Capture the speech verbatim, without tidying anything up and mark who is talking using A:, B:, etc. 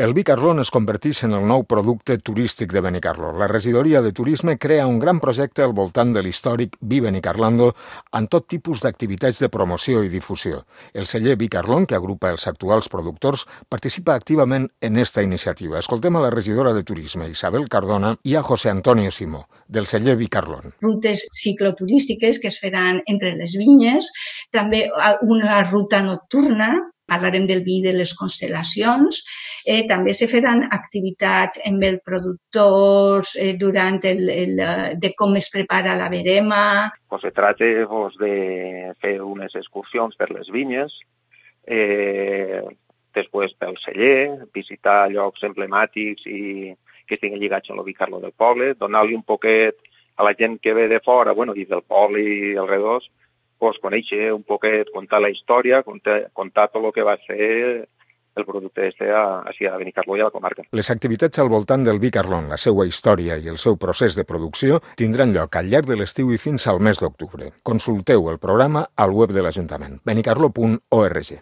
A: El vi Carlón es converteix en el nou producte turístic de Benicarló. La regidoria de turisme crea un gran projecte al voltant de l'històric Vi Benicarlando amb tot tipus d'activitats de promoció i difusió. El celler Vi Carlón, que agrupa els actuals productors, participa activament en esta iniciativa. Escoltem a la regidora de turisme, Isabel Cardona, i a José Antonio Simó, del celler Vi Carlón.
B: Rutes cicloturístiques que es faran entre les vinyes, també una ruta nocturna, parlarem del vi de les constel·lacions, eh, també se faran activitats amb els productors eh, durant el, el, de com es prepara la verema.
C: Pues se trata pues, de fer unes excursions per les vinyes, eh, després pel celler, visitar llocs emblemàtics i que estiguin lligats amb el Vi Carló del poble, donar-li un poquet a la gent que ve de fora, bueno, i del poble i alrededors, pues, conèixer un poquet, contar la història, contar, contar tot el que va ser el producte este a, a Benicarló i a la comarca.
A: Les activitats al voltant del Vi Carlón, la seva història i el seu procés de producció tindran lloc al llarg de l'estiu i fins al mes d'octubre. Consulteu el programa al web de l'Ajuntament, benicarló punt org.